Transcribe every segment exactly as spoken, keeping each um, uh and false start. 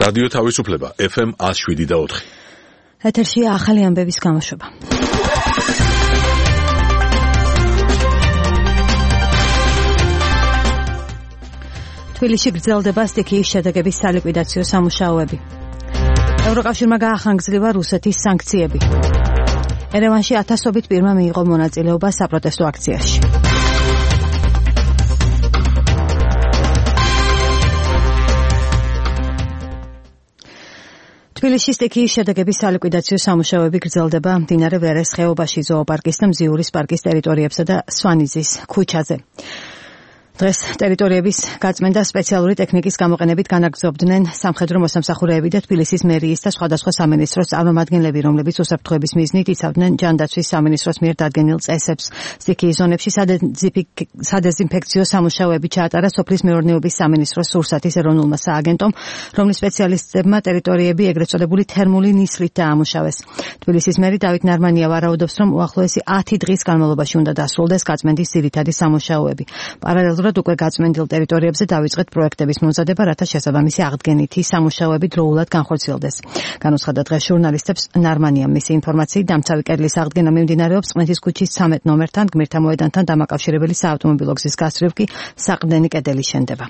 რადიო თავისუფლება ეფ ემ ათს შვიდი და ოთხი. ეთერშია ახალი ამბების გამოშვება. თბილისში გრძელდება სტიქიის შედეგების სალიკვიდაციო სამუშაოები. ევროკავშირმა გაახანგრძლივა რუსეთის სანქციები. ერევანში ათასობით პირმა მიიღო მონაწილეობა საპროტესტო აქციაში. თბილისში სტიქიის შედეგების სალიკვიდაციო სამუშაოები გრძელდება მდინარე ვერეს ხეობაში, ზოოპარკის და მზიურის პარკის ტერიტორიებსა და სვანიძის ქუჩაზე. დღეს ტერიტორიების გაწმენდა სპეციალური ტექნიკის გამოყენებით განაგრძობდნენ სამხედრო მოსამსახურეები და თბილისის მერიის და სხვადასხვა სამინისტროს წარმომადგენლები, რომლებიც უსაფრთხოების მიზნით იცავდნენ ჯანდაცვის სამინისტროს მიერ დადგენილ წესებს. სტიქიის ზონებში სადეზინფექციო სამუშაოები ჩაატარა სოფლის მეურნეობის სამინისტროს სურსათის ეროვნულმა სააგენტომ, რომლის სპეციალისტებმა ტერიტორიები ეგრეთ წოდებული თერმული ნისლით დაამუშავეს. თბილისის მერი დავით ნარმანია ვარაუდობს, რომ უახლოესი ათი დღის განმავლობაში უნდა დასრულდეს გაწმენდის ძირითადი სამუშაოები. პარალელურად უკვე გაწმენდილ ტერიტორიებზე დავიწყეთ პროექტების მომზადება, რათა შესაბამისი აღდგენითი სამუშაოები დროულად განხორციელდეს. განუცხადა დღეს ჟურნალისტებს ნარმანიამ მისი ინფორმაციით, დამცავი კედლის აღდგენა მიმდინარეობს წყნეთის ქუჩის ცამეტ ნომერთან, გმირთა მოედანთან დამაკავშირებელი საავტომობილო გზის გასწვრივ კი საყრდენი კედელი შენდება.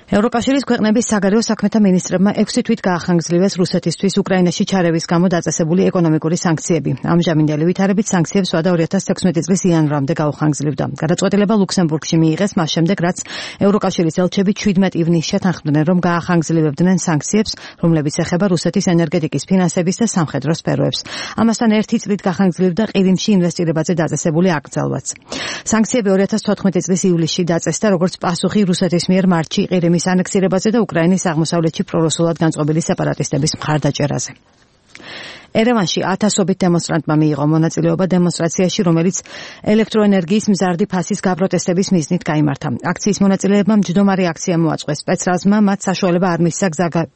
ევროკავშირის ქვეყნების საგარეო საქმეთა მინისტრებმა ექვსი თვით გაახანგრძლივეს რუსეთისთვის უკრაინაში ჩარევის გამო დაწესებული ეკონომიკური სანქციები. ამჟამინდელი ვითარებით სანქციებს ვადა ორი ათას თექვსმეტი წლის იანვრამდე გაუხანგრძლივდა. გადაწყვეტილება ლუქსემბურგში მიიღეს მას შემდეგ, რაც ევროკავშირის ელჩები შვიდმეტ ივნისს შეთანხმდნენ, რომ გაახანგრძლივებდნენ სანქციებს, რომლებიც ეხება რუსეთის ენერგეტიკის, ფინანსების და სამხედრო სფეროებს. ამასთან ერთი წლით გაახანგრძლივდა ყირიმში ინვესტირებაზე დაწესებული აკრძალვაც. სანქციები ორი ათას თოთხმეტი წლის ივლისში დაწესდა, როგორც პასუხი რუსეთის მიერ მარტში ყირიმის ანექსირებაზე და უკრაინის აღმოსავლეთში პრორუსულად განწყობილი სეპარატისტების მხარდაჭერაზე. ერევანში ათასობით დემონსტრანტმა მიიღო მონაწილეობა დემონსტრაციაში, რომელიც ელექტროენერგიის მზარდი ფასის გაპროტესტების მიზნით გაიმართა. აქციის მონაწილეებმა მჯდომარე აქცია მოაწყვეს. სპეცრაზმა მათ საშუალება არ მისცა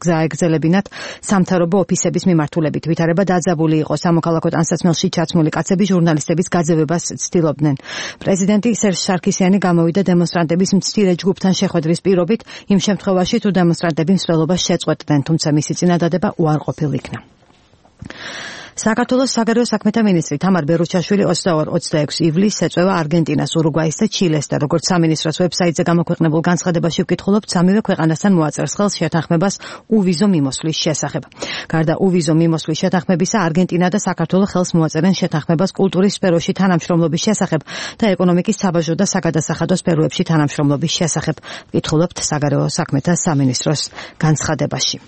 გზა ეგრძელებინათ სამთავრობო ოფისების მიმართულებით. ვითარება დაძაბული იყო. სამოქალაქო ტანსაცმელში ჩაცმული კაცები ჟურნალისტების გაძევებას ცდილობდნენ. პრეზიდენტი სერჟ სარქისიანი გამოვიდა დემონსტრანტების მცირე ჯგუფთან შეხვედრის პირობით, იმ შემთხვევაში თუ დემონსტრანტები მსვლელობას შეწყვეტდნენ, თუმცა მისი წინადადება უარყოფილ იქნა. საქართველოს საგარეო საქმეთა მინისტრი თამარ ბერუჩაშვილი ოცდაორი ოცდაექვსი ივლისს ეწევა არგენტინას, ურუგვაის და ჩილეს და როგორც სამინისტროს ვებსაიტზე გამოქვეყნებულ განცხადებაში ვკითხულობთ, სამივე ქვეყანასთან მოაწერს ხელს შეთანხმებას უვიზო მიმოსვლის შესახებ. გარდა უვიზო მიმოსვლის შეთანხმებისა, არგენტინა და საქართველო ხელს მოაწერენ შეთანხმებას კულტურის სფეროში თანამშრომლობის შესახებ და ეკონომიკის, საბაჟო და საგადასახადო სფეროებში თანამშრომლობის შესახებ. ვკითხულობთ საგარეო საქმეთა სამინისტროს განცხადებაში.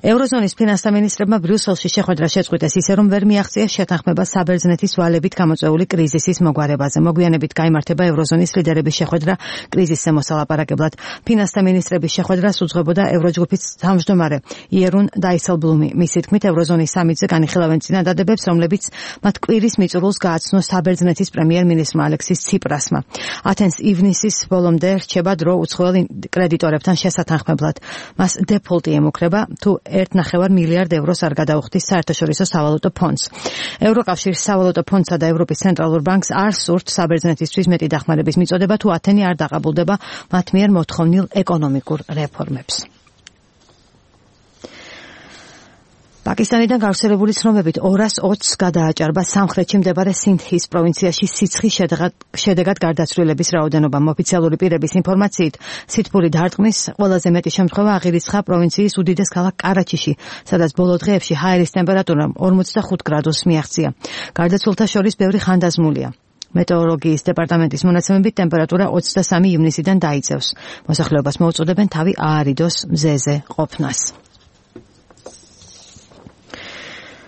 ევროზონის ფინანსთა მინისტრებმა ბრიუსელში შეხვედრა შეწყვიტეს ისე, რომ ვერ მიაღწიეს შეთანხმება საბერძნეთის ვალებით გამოწვეული კრიზისის მოგვარებაზე. მოგვიანებით გაიმართება ევროზონის ლიდერების შეხვედრა კრიზისზე მოსალაპარაკებლად. ფინანსთა მინისტრების შეხვედრას უძღვებოდა ევროჯგუფის თავმჯდომარე იერუნ დაისელბლუმი. მისი თქმით, ევროზონის სამიტზე განიხილავენ წინადადებებს, რომლებიც მათ კვირის მიწურულს გააცნო საბერძნეთის პრემიერ-მინისტრმა ალექსის ციპრასმა. ათენს ივნისის ბოლომდე რჩება დრო უცხოელ კრედიტორებთან შესათანხმებლად. მას დეფოლტი ემუქრება თუ ერთი ნახევარი მილიარდ ევროს არ გადაუხდის საერთაშორისო სავალუტო ფონდს. ევროკავშირის სავალუტო ფონდსა და ევროპის ცენტრალურ ბანკს არ სურთ საბერძნეთისთვის მეტი დახმარების მიწოდება, თუ ათენი არ დაყაბულდება მათ მიერ მოთხოვნილ ეკონომიკურ რეფორმებს. პაკისტანიდან გავრცელებული ცნობებით ორას ოცს გადააჭარბა სამხრეთში მდებარე სინდჰის პროვინციაში სიცხის შედეგად გარდაცვლილების რაოდენობა. ოფიციალური პირების ინფორმაციით, სითბური დარტყმის ყველაზე მეტი შემთხვევა აღირიცხა პროვინციის უდიდეს ქალაქ კარაჩიში, სადაც ბოლო დღეებში ჰაერის ტემპერატურა ორმოცდახუთ გრადუსს მიაღწია. გარდაცვლილთა შორის ბევრი ხანდაზმულია. მეტეოროლოგიის დეპარტამენტის მონაცემებით ტემპერატურა ოცდასამი ივნისიდან დაიწევს. მოსახლეობას მოუწოდებენ თავი აარიდოს მზეზე ყოფნას.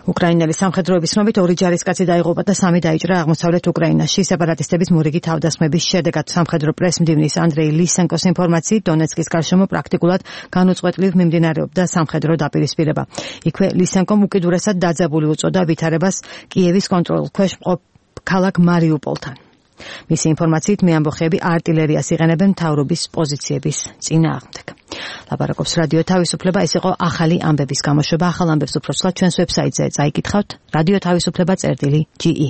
უკრაინელი სამხედროების ცნობით ორი ჯარისკაცი დაიღუპა და სამი დაიჭრა აღმოსავლეთ უკრაინაში. სეპარატისტების მორიგი თავდასხმების შედეგად სამხედრო პრეს-მდივნის ანდრეი ლისენკოს ინფორმაციით, დონეცკის გარშემო პრაქტიკულად განუწყვეტლივ მიმდინარეობდა სამხედრო დაპირისპირება. იქვე ლისენკომ უკიდურესად დაძაბული უწოდა ვითარებას კიევის კონტროლის ქვეშ მყოფ ქალაქ მარიუპოლთან. მისი ინფორმაციით, მეამბოხეები არტილერიას იყენებენ მთავრობის პოზიციების წინააღმდეგ. ლაპარაკობს რადიო თავისუფლება, ეს იყო ახალი ამბების გამოშვება. ახალ ამბებს უფრო ცვლად ჩვენს ვებსაიტზე წაიკითხავთ. რადიო თავისუფლება წერტილი ჯი ი.